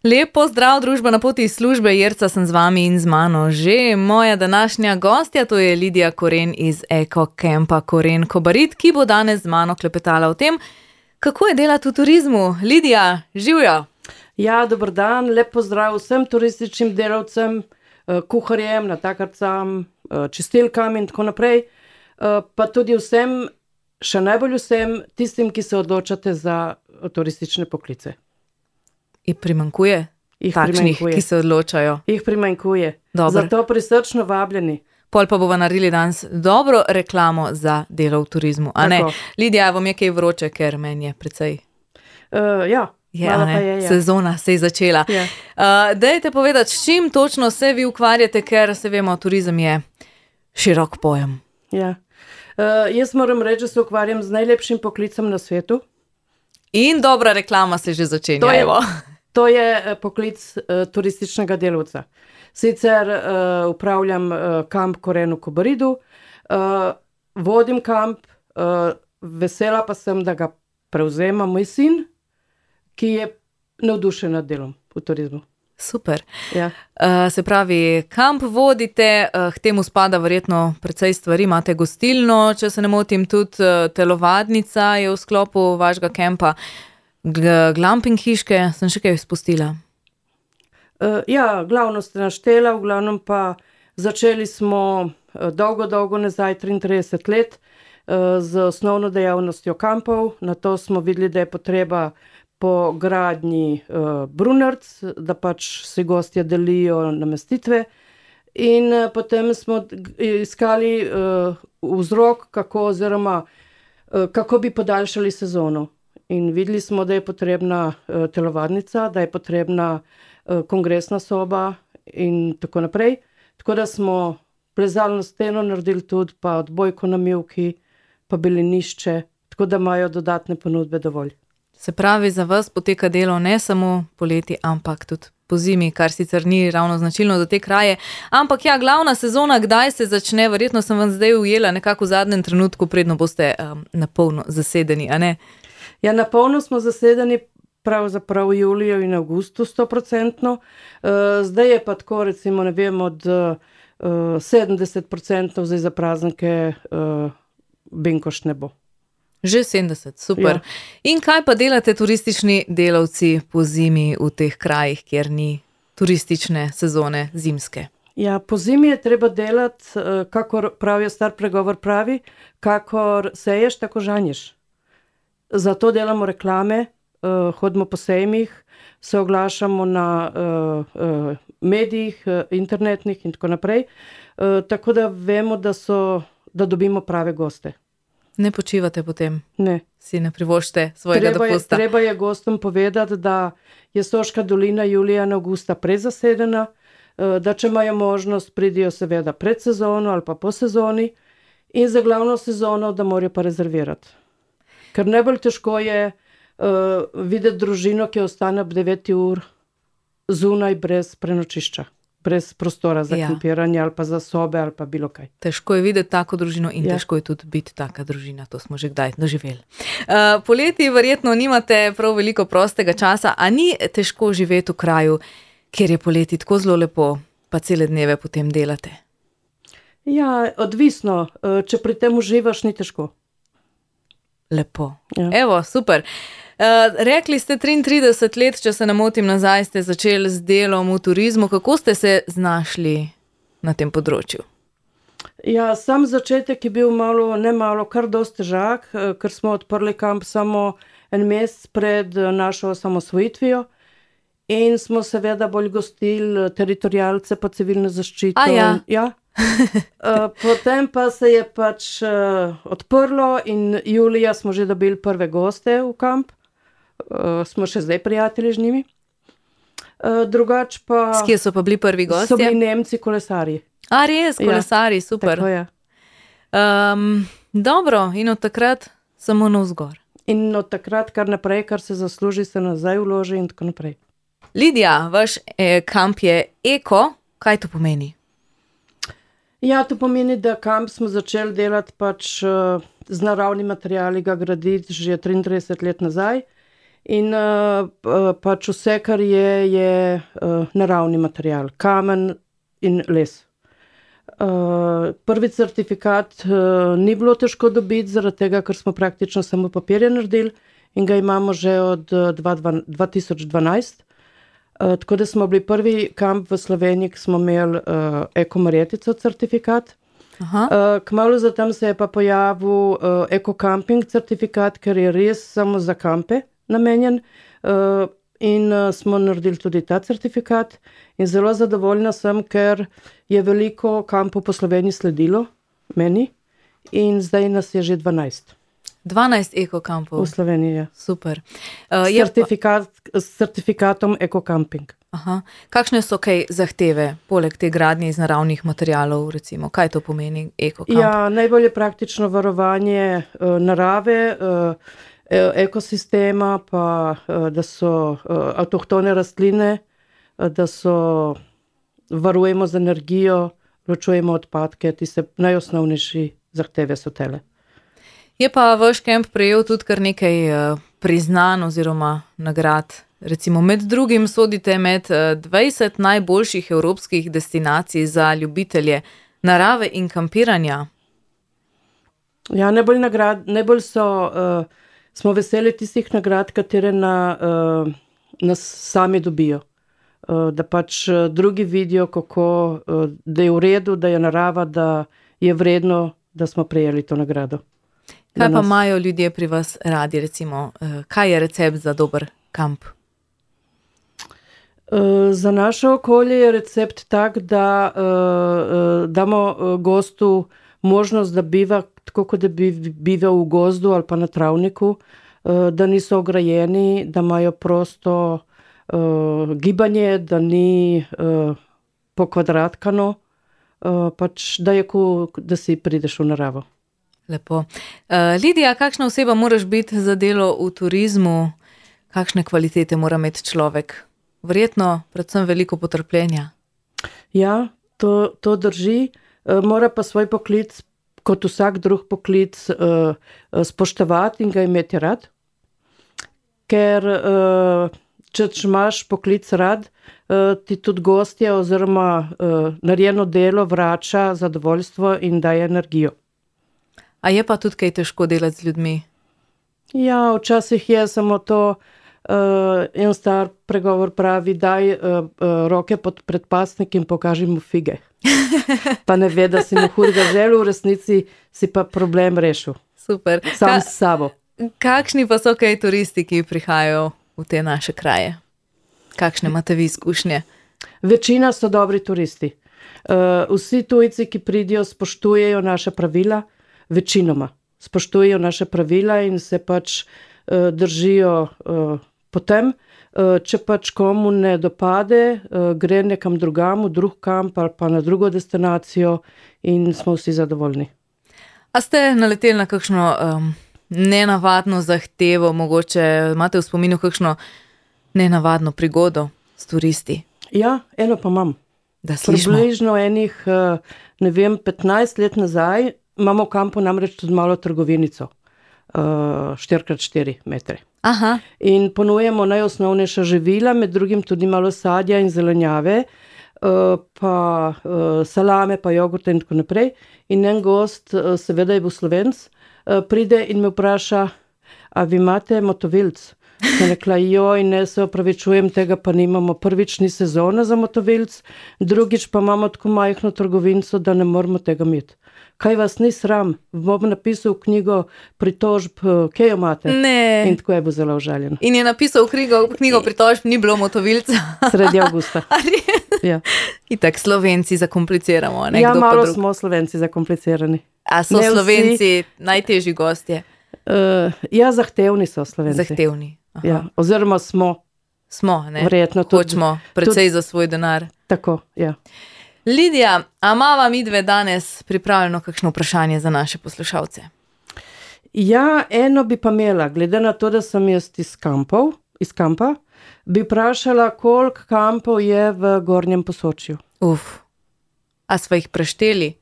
Lep pozdrav, družba na poti iz službe, Jerca sem z vami in z mano že moja današnja gostja, to je Lidija Koren iz Eko Campa Koren Kobarid, ki bo danes z mano klepetala o tem, kako je delati v turizmu. Lidija, živjo! Ja, dober dan, lep pozdrav vsem turističnim delavcem, kuharjem, natakarcam, čistilkam in tako naprej, pa tudi vsem, še najbolj vsem tistim, ki se odločate za turistične poklice. In primanjkuje takšnih, ki se odločajo. Jih primanjkuje. Dobro. Zato prisrčno vabljeni. Pol pa bova naredili danes dobro reklamo za delo v turizmu. A ne? Lidija, vam je kaj vroče, ker meni je precej. Ja. Malo pa je, ja. Sezona se je začela. Ja. Dajte povedati, s čim točno se vi ukvarjate, ker se vemo, turizem je širok pojem. Ja. Jaz moram reči, da se ukvarjam z najlepšim poklicem na svetu. In dobra reklama se že začenja. To je poklic turističnega delavca. Sicer upravljam kamp Koren v Kobaridu, vodim kamp, vesela pa sem, da ga prevzema moj sin, ki je navdušen nad delom v turizmu. Super. Ja. Se pravi, kamp vodite, k temu spada verjetno precej stvari, imate gostilno, če se ne motim, tudi telovadnica je v sklopu vašega kampa, glamping hiške, sem še kaj spustila. Ja, glavno ste naštela, v glavnem pa začeli smo dolgo nazaj, 33 let, z osnovno dejavnostjo kampov, na to smo videli, da je potreba po gradnji brunarc, da pač si gostje delijo namestitve in potem smo iskali vzrok, kako bi podaljšali sezono. In videli smo, da je potrebna telovadnica, da je potrebna kongresna soba in tako naprej. Tako da smo plezalno steno naredili tudi, pa odbojko na mivki, pa belenišče, tako da imajo dodatne ponudbe dovolj. Se pravi, za vas poteka delo ne samo poleti, ampak tudi po zimi, kar sicer ni ravno značilno za te kraje. Ampak ja, glavna sezona, kdaj se začne? Verjetno sem vam zdaj ujela nekako v zadnjem trenutku, predno boste na polno zasedeni, a ne? Ja, na polno smo zasedeni pravzaprav v juliju in avgustu 100%. Zdaj je pa tako, recimo, ne vem, od 70% zdaj za praznike benkoš ne bo. Že 70, super. Ja. In kaj pa delate turistični delavci po zimi v teh krajih, kjer ni turistične sezone zimske? Ja, po zimi je treba delati, kakor pravijo star pregovor pravi, kakor seješ, tako žanješ. Zato delamo reklame, hodimo po sejmih, se oglašamo na medijih, internetnih in tako naprej, tako da vemo, da dobimo prave goste. Ne počivate potem? Ne. Si ne privoščite svojega dopusta? Treba je gostom povedati, da je Soška dolina julija in avgusta prezasedena, da če imajo možnost, pridijo seveda pred sezono ali pa po sezoni in za glavno sezono, da morajo pa rezervirati. Ker najbolj težko je videti družino, ki ostane ob 9 ur zunaj brez prenočišča. Brez prostora za kampiranje ali pa za sobe ali pa bilo kaj. Težko je videti tako družino in težko je tudi biti taka družina, to smo že kdaj doživeli. Poleti verjetno nimate prav veliko prostega časa, a ni težko živeti v kraju, kjer je poleti tako zelo lepo, pa cele dneve potem delate? Ja, odvisno, če pri tem uživaš, ni težko. Lepo. Ja. Evo, super. Rekli ste 33 let, če se ne motim, nazaj ste začeli z delom v turizmu. Kako ste se znašli na tem področju? Ja, sam začetek je bil kar dosti težak, ker smo odprli kamp samo en mesec pred našo osamosvojitvijo in smo seveda bolj gostili teritorialce pa civilno zaščito. Ja. Potem pa se je pač odprlo in julija smo že dobili prve goste v kamp. Smo še zdaj prijatelji z njimi. Drugač pa... S kje so pa bili prvi gostje? So bili Nemci kolesarji. A res, kolesarji, super. Tako je. Dobro, in od takrat samo navzgor. In od takrat kar naprej, kar se zasluži, se nazaj vloži in tako naprej. Lidija, vaš kamp je eko, kaj to pomeni? Ja, to pomeni, da kamp smo začeli delati pač z naravnimi materiali, ga graditi že 33 let nazaj. In pač vse, kar je naravni material, kamen in les. Prvi certifikat ni bilo težko dobiti, zaradi tega, ker smo praktično samo papirje naredili in ga imamo že od 2012. Tako da smo bili prvi kamp v Sloveniji, ki smo imeli Eko-Marjetico certifikat. Kmalu zatem se je pa pojavil Eko-Camping certifikat, ker je res samo za kampe namenjen. In smo naredili tudi ta certifikat in zelo zadovoljna sem, ker je veliko kampov po Sloveniji sledilo meni in zdaj nas je že 12. 12 ekokampov. V Sloveniji je. Super. S certifikatom Eko-Camping. Kakšne so kaj zahteve, poleg te gradnje iz naravnih materialov, recimo? Kaj to pomeni ekokamp? Ja, najbolj je praktično varovanje narave, ekosistema, pa da so avtohtone rastline, da so varujemo z energijo, ločujemo odpadke, tiste najosnovnejši zahteve so tele. Je pa vaš kamp prejel tudi kar nekaj priznanj oziroma nagrad. Recimo med drugim sodite med 20 najboljših evropskih destinacij za ljubitelje narave in kampiranja. Ja, najbolj smo veseli tistih nagrad, katere nas sami dobijo. Da pač drugi vidijo, kako, da je v redu, da je narava, da je vredno, da smo prejeli to nagrado. Kaj pa imajo ljudje pri vas radi, recimo? Kaj je recept za dober kamp? Za naše okolje je recept tak, da damo gostu možnost, da biva tako, kot da bi bival v gozdu ali pa na travniku, da niso ograjeni, da imajo prosto gibanje, da ni pokvadratkano, pač da je da si prideš v naravo. Lepo. Lidija, kakšna oseba moraš biti za delo v turizmu? Kakšne kvalitete mora imeti človek? Verjetno predvsem veliko potrpljenja. Ja, to drži. Mora pa svoj poklic, kot vsak drug poklic, spoštovati in ga imeti rad. Ker če imaš poklic rad, ti tudi gostje oziroma narejeno delo vrača zadovoljstvo in daje energijo. A je pa tudi kaj težko delati z ljudmi? Ja, včasih je samo to, en star pregovor pravi, daj roke pod predpasnik in pokaži mu fige. Pa ne ve, da si mu hudega želel, v resnici si pa problem rešil. Super. Sam s sabo. Kakšni pa so kaj turisti, ki prihajajo v te naše kraje? Kakšne imate vi izkušnje? Večina so dobri turisti. Vsi tujci, ki pridijo, spoštujejo naše pravila, večinoma spoštujejo naše pravila in se pač držijo potem. Če pač komu ne dopade, gre nekam drugam, v drug kamp ali pa na drugo destinacijo in smo vsi zadovoljni. A ste naleteli na kakšno nenavadno zahtevo, mogoče imate v spominu kakšno nenavadno prigodo s turisti? Ja, eno pa imam. Da slišimo. Približno 15 let nazaj imamo v kampu namreč tudi malo trgovinico, 4x4 metre. Aha. In ponujemo najosnovnejša živila, med drugim tudi malo sadja in zelenjave, pa salame, pa jogurte in tako naprej. In en gost, seveda je bil Slovenc, pride in me vpraša, a vi imate motovilc? Sem rekla, joj, ne, se opravičujem, tega pa nimamo. Prvič ni sezona za motovilc, drugič pa imamo tako majhno trgovinco, da ne moramo tega imeti. Kaj vas ni sram? Bom napisal knjigo pritožb, kje jo imate? Ne. In tako je bil zelo užaljen. In je napisal knjigo pritožb, ni bilo motovilca. Sredi avgusta. Ja. Itak Slovenci zakompliciramo. Ne? Ja, malo smo Slovenci zakomplicirani. A so Slovenci najtežji gostje? Ja, zahtevni so Slovenci. Zahtevni. Ja, oziroma smo. Smo, ne? Verjetno tudi. Hočemo precej za svoj denar. Tako, ja. Lidija, a imava midve danes pripravljeno kakšno vprašanje za naše poslušalce? Ja, eno bi pa imela, glede na to, da sem jaz iz kampa, bi vprašala, koliko kampov je v Gornjem Posočju. A sva jih prešteli?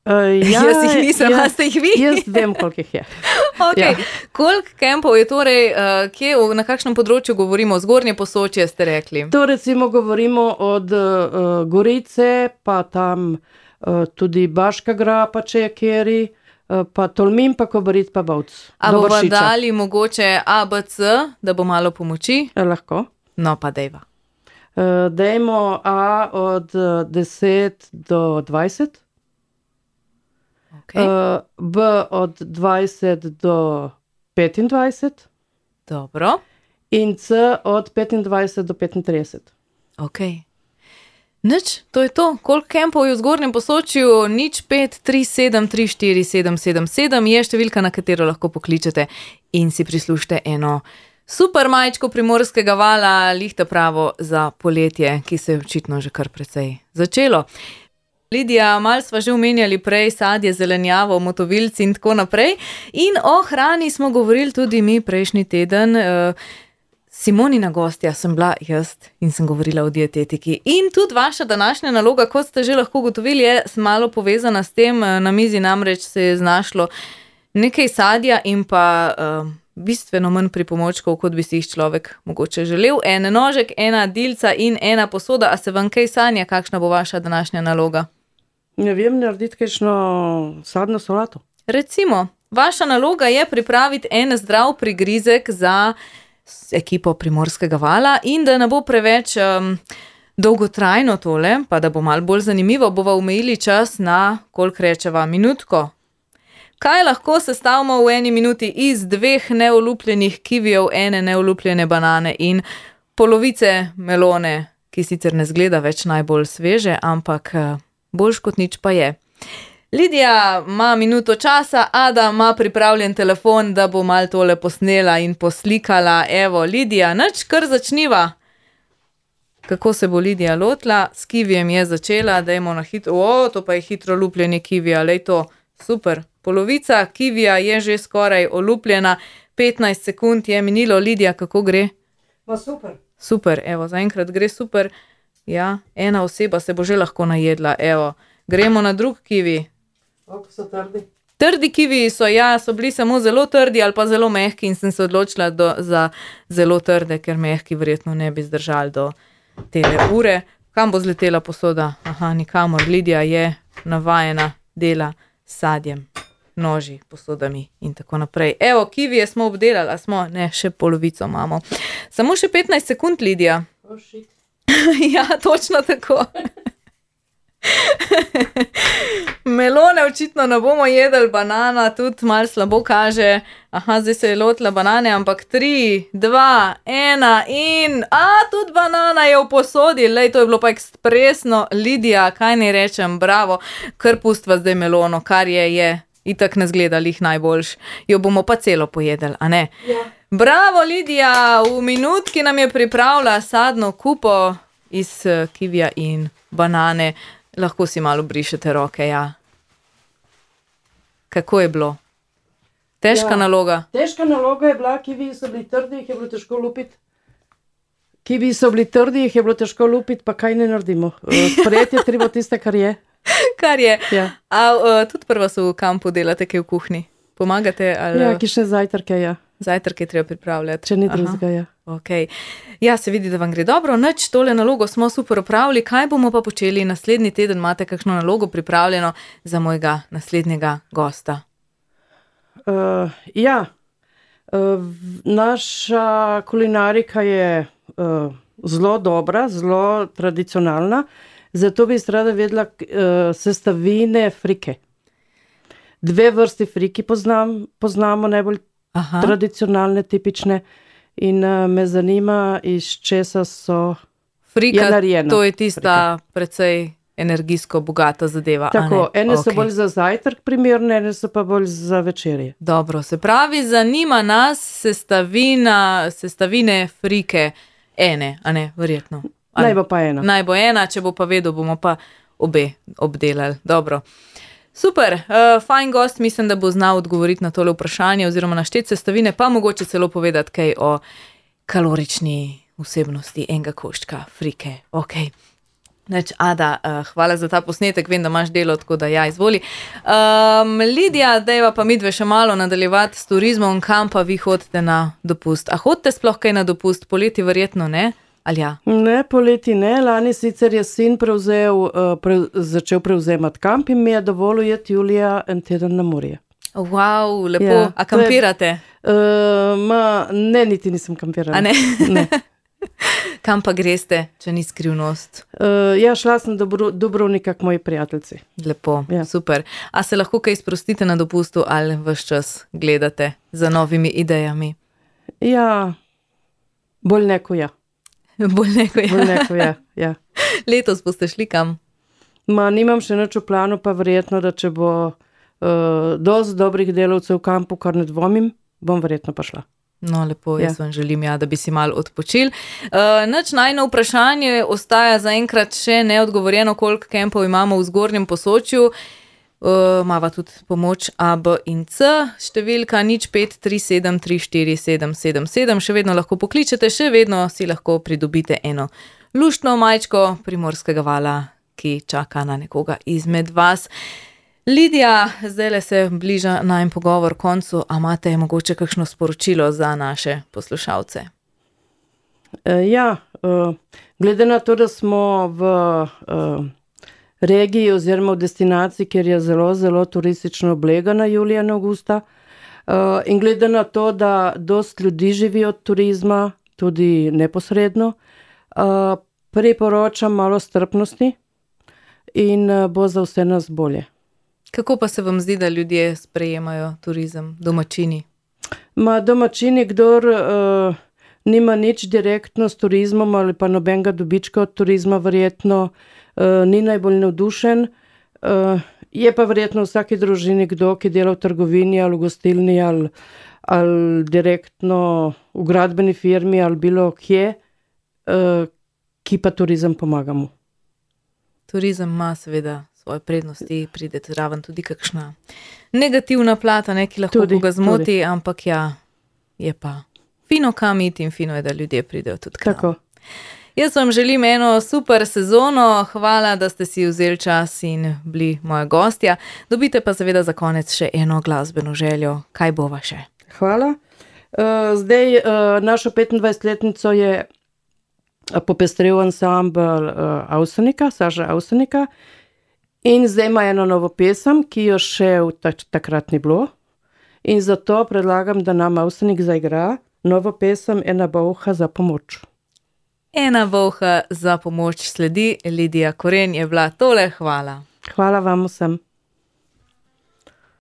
Jaz jih nisem, a ste jih vi? Jaz vem, koliko jih je. Okay. Koliko kempov je torej, na kakšnem področju govorimo? Zgornje Posočje ste rekli? To recimo govorimo od Gorice, pa tam tudi Baška Grapa, če je kjeri, pa Tolmin, pa Kobarid, pa Bovc. A bova dali mogoče ABC, da bo malo pomoči? Lahko. No, pa dejva. Dajmo A od 10 do 20. Okay. B od 20 do 25. Dobro. In C od 25 do 35. Ok. Nič, to je to. Koliko kempov je v Zgornjem Posočju? 0537347777 je številka, na katero lahko pokličete in si prislušite eno super majčko Primorskega vala, lihta pravo za poletje, ki se je očitno že kar precej začelo. Lidija, malo sva že omenjali prej sadje, zelenjavo, motovilci in tako naprej. In o hrani smo govorili tudi mi prejšnji teden. Simonina gostja sem bila jaz in sem govorila o dietetiki. In tudi vaša današnja naloga, kot ste že lahko ugotovili, je malo povezana s tem. Na mizi namreč se je znašlo nekaj sadja in pa bistveno manj pripomočkov, kot bi si jih človek mogoče želel. En nožek, ena dilca in ena posoda. A se vam kaj sanja, kakšna bo vaša današnja naloga? Ne vem, narediti kakšno sadno solato. Recimo, vaša naloga je pripraviti en zdrav prigrizek za ekipo Primorskega vala in da ne bo preveč dolgotrajno tole, pa da bo malo bolj zanimivo, bova omejili čas na, koliko rečeva, minutko. Kaj lahko sestavimo v eni minuti iz 2 neolupljenih kivijev, ene neolupljene banane in polovice melone, ki sicer ne zgleda več najbolj sveže, ampak boljš kot nič pa je. Lidija ima minuto časa, Ada ima pripravljen telefon, da bo malo tole posnela in poslikala. Evo, Lidija, nič, kar začniva. Kako se bo Lidija lotila? S kivijem je začela, dajmo na hitro. To pa je hitro lupljenje kivija, lej to, super. Polovica kivija je že skoraj olupljena, 15 sekund je minilo. Lidija, kako gre? Pa super. Super, evo, zaenkrat gre super. Ja, ena oseba se bo že lahko najedla, evo. Gremo na drug kivi. Kako so trdi? Trdi kiviji so, ja, so bili samo zelo trdi ali pa zelo mehki in sem se odločila za zelo trde, ker mehki verjetno ne bi zdržali do tele ure. Kam bo zletela posoda? Aha, nikamor. Lidija je navajena dela s sadjem, noži, posodami in tako naprej. Evo, kivije smo obdelali, smo, ne, še polovico imamo. Samo še 15 sekund, Lidija. Oh, shit. Ja, točno tako. Melone očitno ne bomo jedli, banana tudi malo slabo kaže. Aha, zdaj se je lotila banane, ampak 3, 2, 1 in... tudi banana je v posodi. Lej, to je bilo pa ekspresno. Lidija, kaj ne rečem, bravo. Kar pustva zdaj melono, kar je. Itak ne zgleda lih najboljš. Jo bomo pa celo pojedli, a ne? Ja. Bravo, Lidija, v minutki nam je pripravila sadno kupo iz kivija in banane. Lahko si malo brišete roke, ja. Kako je bilo? Težka naloga? Težka naloga je bila, kiviji so bili trdi, jih je bilo težko lupiti. Kiviji so bili trdi, jih je bilo težko lupiti, pa kaj ne naredimo. Sprejeti je treba tiste, kar je. Kar je. Ja. Tudi prva so v kampu delate, kaj v kuhinji? Pomagate? Ali... Ja, kišne zajtrke, ja. Zajtrke treba pripravljati. Če ni drugega, ja. Okay. Ja, se vidi, da vam gre dobro. Nič, tole nalogo smo super opravili. Kaj bomo pa počeli naslednji teden? Imate kakšno nalogo pripravljeno za mojega naslednjega gosta? Naša kulinarika je zelo dobra, zelo tradicionalna, zato bi rada vedela sestavine frike. 2 vrsti friki poznamo najbolj tradicionalne, tipične. In me zanima, iz česa so narejene. To je tista precej energijsko bogata zadeva. Tako, ene so bolj za zajtrk primerne, ene so pa bolj za večerje. Dobro, se pravi, zanima nas sestavine frike ene, a ne, verjetno. Naj bo pa ena. Naj bo ena, če bo pa vedel, bomo pa obe obdelali. Dobro. Super, fajn gost, mislim, da bo znal odgovoriti na tole vprašanje oziroma našteti sestavine, pa mogoče celo povedati kaj o kalorični vsebnosti enega koščka frike. Ok. Ada, hvala za ta posnetek, vem, da imaš delo, tako da ja, izvoli. Lidija, dajva pa midve še malo nadaljevati s turizmom, kam pa vi hodite na dopust? A hodite sploh kaj na dopust? Poleti verjetno ne? Ali ja? Ne, poleti ne. Lani sicer je sin začel prevzemati kamp in mi je dovolil jeti julija en teden na morje. Wow, lepo. Ja, a kampirate? Ne, niti nisem kampirala. A ne? Ne. Kam pa greste, če ni skrivnost? Ja, šla sem do Dubrovnika k moji prijateljci. Lepo, ja. Super. A se lahko kaj sprostite na dopustu ali ves čas gledate za novimi idejami? Ja, bolj neko ja. Bolj neko ja, ja. Letos boste šli kam? Nimam še nič v planu, pa verjetno, da če bo dosti dobrih delavcev v kampu, kar ne dvomim, bom verjetno pa šla. No, lepo, jaz vam želim, da bi si malo odpočil. Nič najno vprašanje ostaja zaenkrat še neodgovorjeno, koliko kempov imamo v Zgornjem Posočju. Mava tudi pomoč A, B in C, številka 0537347777, še vedno lahko pokličete, še vedno si lahko pridobite eno luštno majčko Primorskega vala, ki čaka na nekoga izmed vas. Lidija, zdajle se bliža najin pogovor koncu, a imate mogoče kakšno sporočilo za naše poslušalce? Ja, glede na to, da smo v regiji oziroma v destinaciji, kjer je zelo, zelo turistično oblegana julija in avgusta, in glede na to, da dosti ljudi živi od turizma, tudi neposredno, priporočam malo strpnosti in bo za vse nas bolje. Kako pa se vam zdi, da ljudje sprejemajo turizem, domačini? Domačini, kdor nima nič direktno s turizmom ali pa nobenega dobička od turizma, verjetno ni najbolj navdušen. Je pa verjetno v vsaki družini kdo, ki dela v trgovini ali v gostilni ali direktno v gradbeni firmi ali bilo kje, ki pa turizem pomaga mu. Turizem ima seveda svoje prednosti, pride zraven tudi kakšna negativna plata, ki lahko koga zmoti, ampak ja, je pa fino kam iti in fino je, da ljudje pridejo tudi k nam. Tako. Jaz vam želim eno super sezono, hvala, da ste si vzeli čas in bili moja gostja. Dobite pa seveda za konec še eno glasbeno željo. Kaj bova še? Hvala. Zdaj našo 25-letnico je popestril ansambl Avsenika, Saša Avsenika. In zdaj ima eno novo pesem, ki jo še takrat ni bilo. In zato predlagam, da nam Avsenik zaigra novo pesem Ena bolha za pomoč. Ena bolha za pomoč sledi. Lidija Koren je bila tole, hvala. Hvala vam vsem.